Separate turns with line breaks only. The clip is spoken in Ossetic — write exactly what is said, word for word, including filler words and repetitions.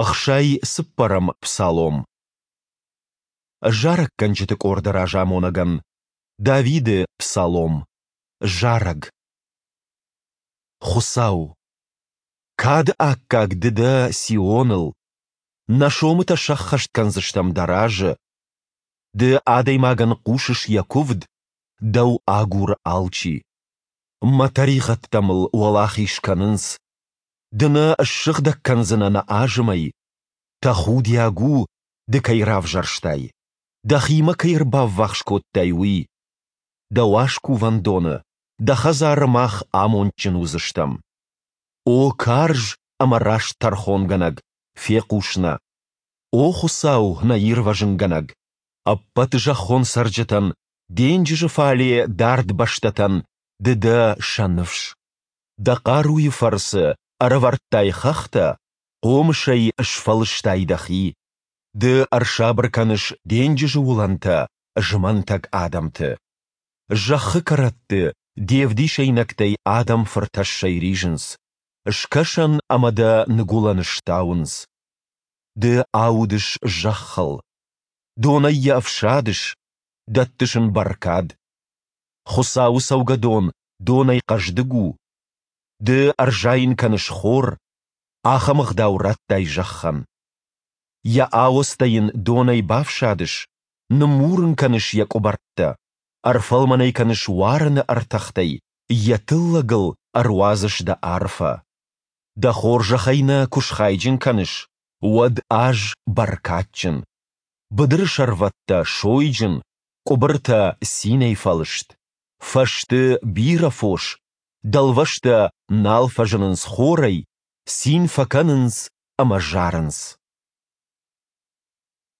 Ӕхсай цыппӕрӕм псалом. Зарӕггӕнджыты къорды разамонӕгӕн. Давиды псалом. Зарӕг. Хуыцау, кады аккаг Ды дӕ Сионыл, нӕ сомытӕ сӕххӕст кӕндзыстӕм Дӕ разы. Ды адӕймагӕн хъусыс йӕ куывд, Дӕу агуры алчи. Мӕ тӕригъӕдтӕ мыл уӕлахиз кӕнынц. Ды нӕ ссыгъдӕг кӕндзынӕ нӕ азымӕй. Тӕхудиаг у, Ды кӕй равзӕрстай, Дӕхимӕ кӕй ӕрбаввахс кодтай, уый. Дӕ уаз кувӕндоны, Дӕ хӕдзары мах амондджын уыдзыстӕм. О карз ӕмӕ раст тӕрхонгӕнӕг, фехъус нӕ. О Хуыцау, нӕ ирвӕзынгӕнӕг! Ӕппӕт зӕххон цӕрджытӕн, денджызы фале дард бӕстӕтӕн Ды дӕ сӕ ныфс. Дӕ хъаруйы фӕрцы ӕрӕвӕрдтай хӕхтӕ, хъомысӕй сфӕлыстай дӕхи. Ды ӕрсабыр кӕныс денджызы уылӕнтӕ, змӕнтӕг адӕмты. Зӕххы кӕрӕтты де вдисӕйнӕгтӕй адӕм фыртӕссӕй ризынц, скӕсӕн ӕмӕ дӕ ныгуылӕны стауынц. Ды аудыс зӕххыл, донӕй йӕ ӕфсадыс, дӕттыс ын бӕркад. Хуыцауы цӕугӕдон донӕй хъӕздыг у. Ды ӕрзайын кӕныс хор, ахӕм ӕгъдау радтай зӕххӕн. Йӕ ауӕдзтӕ йын донӕй бафсадыс, ныммур ын кӕныс йӕ къуыбӕрттӕ, ӕрфӕлмӕн ӕй кӕныс уарыны ӕртӕхтӕй, йӕ тыллӕгыл ӕруадзыс дӕ арфӕ. Дӕ хорзӕхӕй нӕ куы схайджын кӕныс, уӕд аз бӕркадджын. Быдыры сӕрвӕттӕ сойджын, къуыбыртӕ цинӕй фӕлыст. Фӕзты бирӕ фос, дӕлвӕзтӕ нал фӕзынынц хорӕй, цин фӕкӕнынц ӕмӕ зарынц.